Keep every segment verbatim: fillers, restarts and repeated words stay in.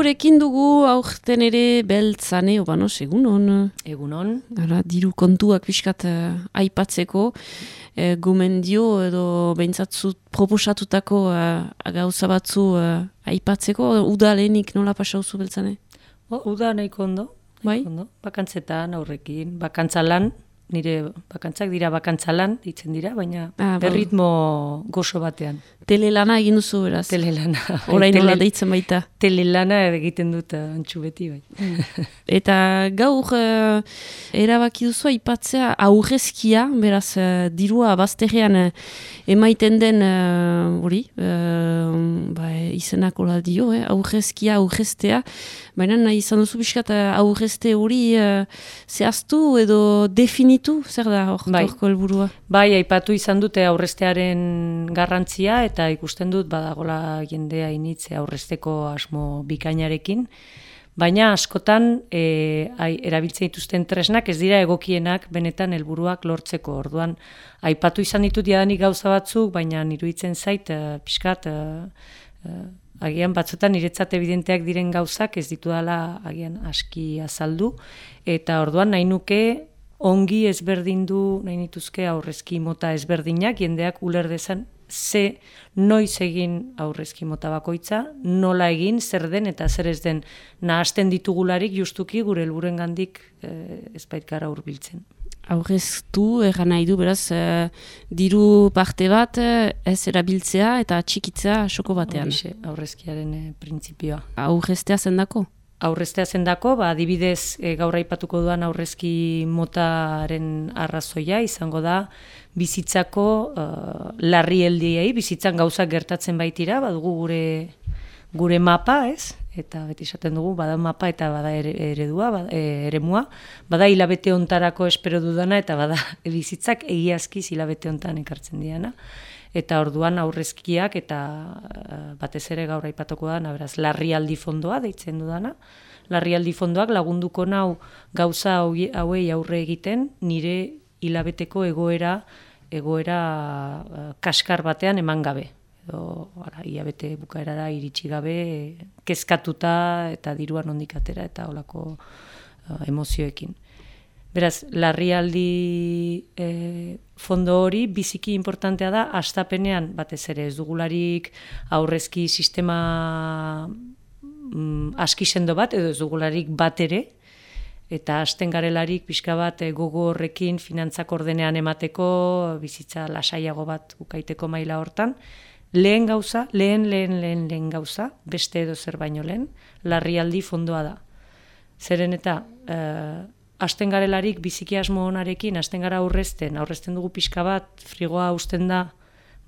Gurekin dugu aurten ere beltzane, obanos, egunon. Egunon. Ara, diru kontuak pixkat uh, aipatzeko, uh, gomendio edo behintzat proposatutako uh, gauza batzu uh, aipatzeko, uda lehenik nola pasauzu beltzane? O, uda nahiko ondo. Bai? Ondo. Bakantzetan, aurrekin, bakantzalan, nire bakantzak dira bakantzalan, ditzen dira, baina ah, berritmo gozo batean. Telelana egin duzu beraz? Telelana. Orain Tele, nola deitzen baita? Telelana egiten dut antxu beti, bai. Eta gaur uh, erabaki duzu aipatzea aurrezkia, beraz uh, dirua bazterrean uh, emaiten den hori, uh, uh, ba, izenak hola dio, eh? aurrezkia, aurreztea, baina nahi izan duzu biskat uh, aurrezte hori uh, zehaztu edo definitu, zer da hor, bai. horko helburua? Bai, aipatu izan dute aurreztearen garrantzia, eta ikusten dut badagola jendea initze aurrezteko asmo bikainarekin, baina askotan e, ai, erabiltzen dituzten tresnak ez dira egokienak benetan helburuak lortzeko. Orduan, aipatu izan ditut jadanik gauza batzuk, baina iruditzen zait, uh, pixkat, uh, uh, agian batzutan niretzat evidenteak diren gauzak ez ditudala agian aski azaldu, eta orduan nahi nuke ongi ezberdindu nahi nituzke aurrezki mota ezberdinak, jendeak uler dezan ze noiz egin aurrezki mota bakoitza, nola egin, zer den eta zer ez den nahasten ditugularik justuki gure helburuengandik eh, ez baitkara hurbiltzen. Aurreztu, erran nahi du, beraz, uh, diru parte bat uh, ez erabiltzea eta txikitzea soko batean. Horixe, aurrezkiaren eh, printzipioa. Aurreztea zendako? Aurreztea zendako, ba, adibidez e, gaur aipatuko duan aurrezki motaren arrazoia izango da bizitzako uh, larrialdiei, bizitzan gauzak gertatzen baitira, badugu gure gure mapa, ez? Eta beti esaten dugu, bada mapa eta bada ere, eredua, bada, e, eremua, bada hilabete hontarako espero dudana eta bada bizitzak egiazkiz hilabete hontan ekartzen diana. Eta orduan aurrezkiak eta batez ere gaur aipatuko da, beraz, larrialdi fondoa deitzen dudana. Larrialdi fondoak lagunduko nau gauza hauei aurre egiten nire hilabeteko egoera egoera uh, kaskar batean eman gabe. Edo, ara, hilabete bukaerara iritsi gabe, kezkatuta eta diruan ondik atera eta holako uh, emozioekin. Beraz, larrialdi e, fondo hori biziki importantea da, hastapenean batez ere ez dugularik aurrezki sistema mm, aski sendo bat, edo ez dugularik bat ere, eta hasten garelarik pixka bat e, gogo horrekin finantzak ordenean emateko, bizitza lasaiago bat ukaiteko maila hortan. Lehen gauza, lehen, lehen, lehen, lehen gauza, beste edo zer baino lehen, larrialdi fondoa da. Zeren eta... E, hasten garelarik biziki asmo onarekin, hasten gara aurrezten, aurrezten dugu pixka bat, frigoa hausten da,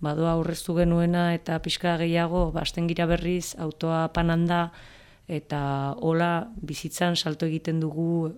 badoa aurreztu genuena eta pixka gehiago, hasten gira berriz, autoa pananda, eta hola bizitzan salto egiten dugu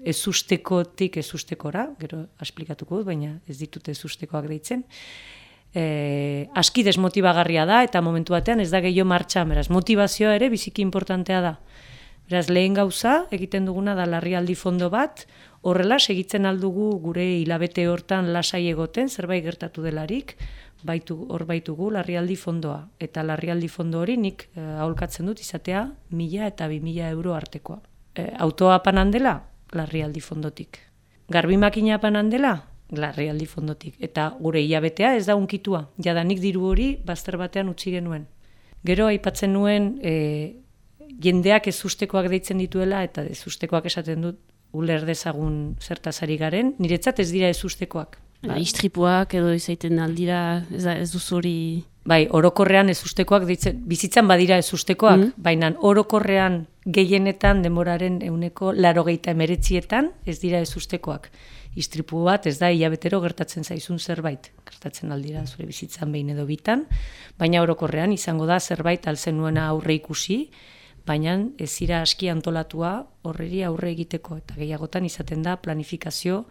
ezustekotik ezustekora, gero esplikatuko dut, baina ez ditut ezustekoak deitzen. E, aski desmotibagarria da, eta momentu batean ez da gehiago martxan, beraz, motivazioa ere biziki importantea da. Beraz, lehen gauza, egiten duguna da larrialdi fondo bat, horrela segitzen aldugu gure hilabete hortan lasai egoten, zerbait gertatu delarik, baitu, hor baitugu larrialdi fondoa. Eta larrialdi fondo hori nik eh, aholkatzen dut izatea mila eta bi mila euro artekoa. Eh, autoa panan dela, larrialdi fondotik. Garbi makina panan dela, larrialdi fondotik. Eta gure hilabetea ez da unkitua. Jadanik diru hori bazter batean utzi genuen. Gero aipatzen nuen... Eh, jendeak ezustekoak deitzen dituela eta ezustekoak esaten dut uler dezagun zertazari garen, niretzat ez dira ezustekoak. Ba, istripuak edo izaiten aldira, ez, da, ez duzu hori... Bai, orokorrean ezustekoak deitzen, bizitzan badira ezustekoak, mm. baina orokorrean gehienetan denboraren ehuneko laurogeita hemeretzietan ez dira ezustekoak. Istripu bat ez da hilabetero gertatzen zaizun zerbait, gertatzen aldira zure bizitzan behin edo bitan, baina orokorrean izango da zerbait altzen nuena aurre ikusi, baina ez zira aski antolatua horreri aurre egiteko, eta gehiagotan izaten da planifikazio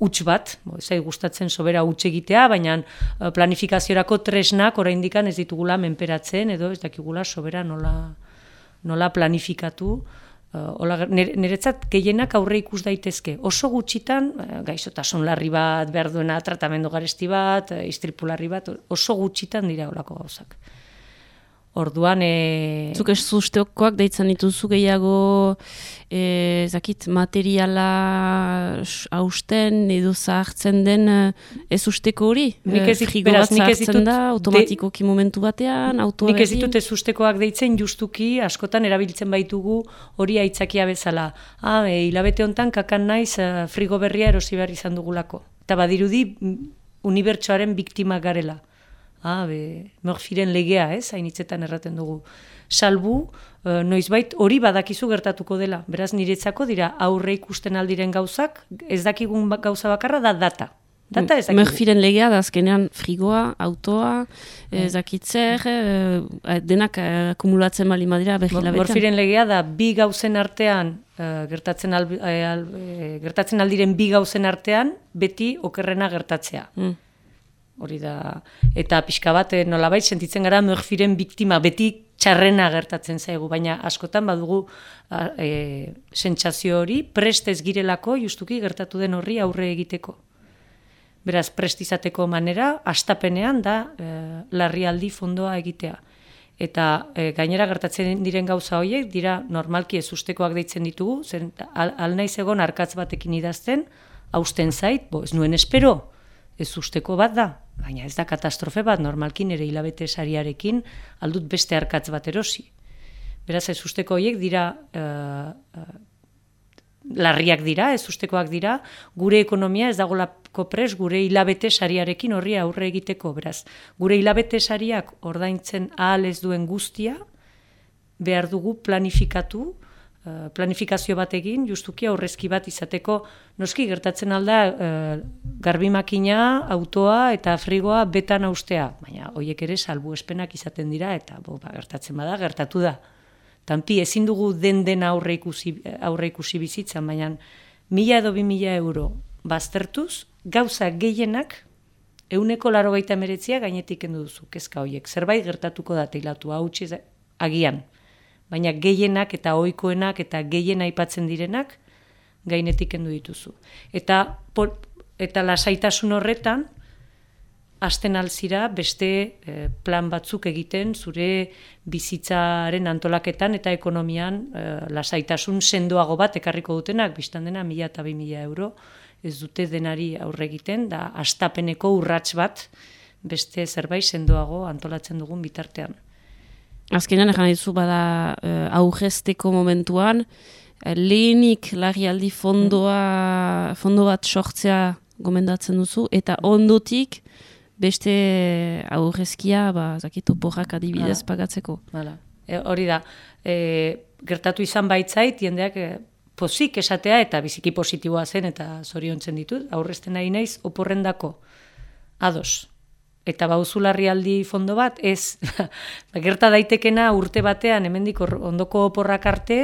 huts bat, ezai gustatzen sobera huts egitea, baina planifikaziorako tresnak oraindikan ez ditugula menperatzen, edo ez dakigula sobera nola, nola planifikatu. Uh, niretzat gehienak aurre ikus daitezke. Oso gutxitan, gaixotasun larri bat, behar duena tratamendu garesti bat, istripu larri bat, oso gutxitan dira olako gauzak. Orduan... E... Zuk ez sustekoak deitzen dituzu gehiago e, zakit, materiala hausten edo zahartzen den ez usteko hori? Nik ez, frigo beraz, bat nik ez zahartzen ditut, da, automatikoki momentu batean, autoa nik ez ditut ez ustekoak deitzen justuki, askotan erabiltzen baitugu hori aitzakia bezala. Ah, e, hilabete hontan kakan naiz frigo berria erosi behar izan dugulako. Eta badirudi unibertsoaren biktimak garela. Ah, be, Murphyren legea, ez, hainitzetan erraten dugu. Salbu, e, noizbait hori badakizu gertatuko dela. Beraz, niretzako dira aurre ikusten aldiren gauzak, ez dakigun gauza bakarra da data. Data ez dakigu. Murphyren legea da azkenean frigoa, autoa, ez dakitzer, e, denak akumulatzen bali madira behilabetan. Murphyren legea da bi gauzen artean, e, gertatzen, al, e, al, e, gertatzen aldiren bi gauzen artean, beti okerrena gertatzea. Mm. Hori da, eta pixka bat nolabait sentitzen gara Murphyren biktima, beti txarrena gertatzen zaigu, baina askotan badugu e, sentsazio hori prest ez girelako justuki gertatu den horri aurre egiteko. Beraz, prest izateko manera, astapenean da e, larrialdi fondoa egitea. Eta e, gainera gertatzen diren gauza horiek, dira normalki ez ustekoak deitzen ditugu, zen al, alnaiz egon arkatz batekin idazten, hausten zait, bo, ez nuen espero, ez usteko bat da, baina ez da katastrofe bat, normalki nire hilabete sariarekin aldut beste arkatz bat erosi. Beraz, ez usteko horiek dira, uh, uh, larriak dira, ez ustekoak dira, gure ekonomia ez dagolako pres gure hilabete sariarekin horri aurre egiteko. Beraz, gure hilabete sariak ordaintzen ahal ez duen guztia, behar dugu planifikatu, planifikazio bat egin, justuki aurrezki bat izateko, noski gertatzen alda e, garbimakina, autoa eta frigoa betan austea, baina horiek ere salbuespenak izaten dira, eta bo, ba, gertatzen bada, gertatu da. Tanpi, ezin dugu den den aurre ikusi, aurre ikusi bizitzan, baina mila edo bi mila euro baztertuz, gauza gehienak, euneko larogeita emeretzia gainetik kendu duzu, kezka horiek. Zerbait gertatuko da teilatu, hau agian. Baina gehienak eta ohikoenak eta gehien aipatzen direnak gainetik kendu dituzu. Eta, por, eta lasaitasun horretan, hasten alzira beste eh, plan batzuk egiten zure bizitzaren antolaketan eta ekonomian eh, lasaitasun sendoago bat ekarriko dutenak, biztan dena mila eta bi mila euro, ez dute denari aurre egiten, da hastapeneko urrats bat beste zerbait sendoago antolatzen dugun bitartean. Azkenean, egan dizu bada uh, aurrezteko momentuan, uh, lehenik larrialdi fondoa, fondo bat sortzea gomendatzen duzu, eta ondotik beste aurrezkia, ba, zakit, oporrak adibidez Hala. Pagatzeko. Hala. E, hori da, e, gertatu izan baitzait, jendeak e, pozik esatea eta biziki positiboa zen eta zoriontzen ditut, aurrezten nahi naiz oporrendako ados. Eta bauzu larrialdi fondo bat, ez, gerta daitekena urte batean, hemendik ondoko oporrak arte,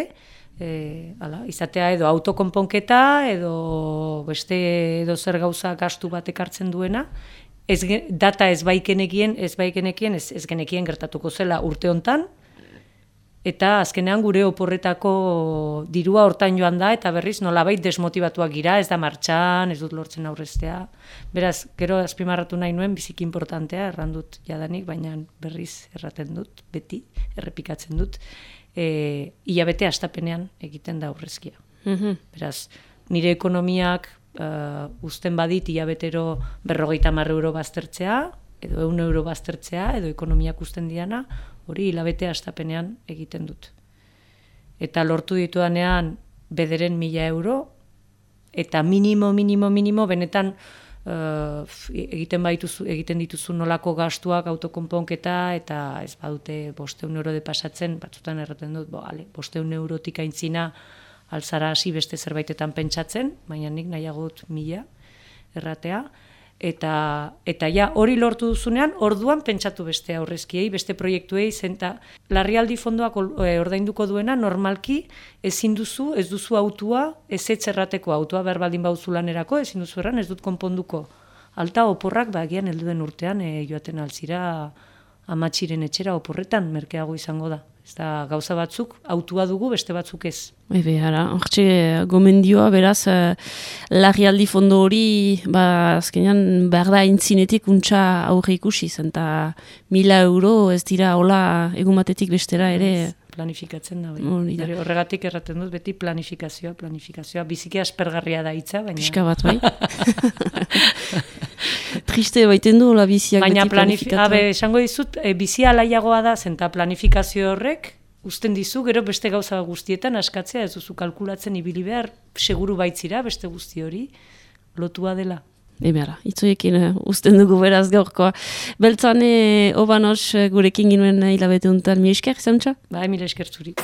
e, ala, izatea edo autokonponketa, edo beste edo zer gauza gastu bat ekartzen duena, ez, data ez baikenekien, ez baikenekien, ez, ez genekien gertatuko zela urte hontan, eta azkenean gure oporretako dirua hortan joan da, eta berriz nolabait desmotibatuak gira, ez da martxan, ez dut lortzen aurreztea. Beraz, gero azpimarratu nahi nuen, biziki importantea, errandut jadanik, baina berriz erraten dut, beti, errepikatzen dut, e, hilabete astapenean egiten da aurrezkia. Mm-hmm. Beraz, nire ekonomiak uh, uzten badit hilabetero berrogeita hamar euro baztertzea, edo ehun euro baztertzea, edo ekonomiak uzten diana, hori hilabete astapenean egiten dut. Eta lortu ditudanean bederen mila euro, eta minimo, minimo, minimo, benetan uh, egiten, baituzu, egiten dituzu nolako gastuak autokonponketa, eta ez badute bosteun euro de pasatzen, batzutan erraten dut, bo, ale, bosteun eurotik aintzina alzara hasi beste zerbaitetan pentsatzen, baina nik nahiagot mila erratea, Eta, eta ja hori lortu duzunean, orduan pentsatu beste aurrezkiei, beste proiektuei, zenta larrialdi fondoak ordainduko duena, normalki ezin duzu, ez duzu autua, ez etzerrateko autua berbaldin bauzu lanerako, ezin duzu erran, ez dut konponduko. Alta oporrak, bagian helduen urtean, e, joaten alzira amatxiren etxera oporretan, merkeago izango da. Ez da gauza batzuk, autua dugu, beste batzuk ez. Ebe, ara, hortxe gomendioa, beraz, uh, larrialdi fondo hori, ba, azkenean, behar da intzinetik untxa aurre ikusi, zenta mila euro ez dira hola egun batetik bestera ere. Planifikatzen da, bai. Horregatik erraten dut, beti planifikazioa, planifikazioa, biziki aspergarria da hitza, baina... Pixka bat, bai. Triste baiten du, la biziak baina beti planifikatua. Baina, esango dizut, e, bizia alaiagoa da, zenta planifikazio horrek, uzten dizu, gero beste gauza guztietan askatzea, ez duzu kalkulatzen ibili behar, seguru baitzira, beste guzti hori, lotua dela. Ebera, itzoiekin uh, uzten dugu beraz gaurkoa. Beltzane, obanos, gurekin ginuen hilabete untan, mi esker, zantxa? Ba, mi esker zuri.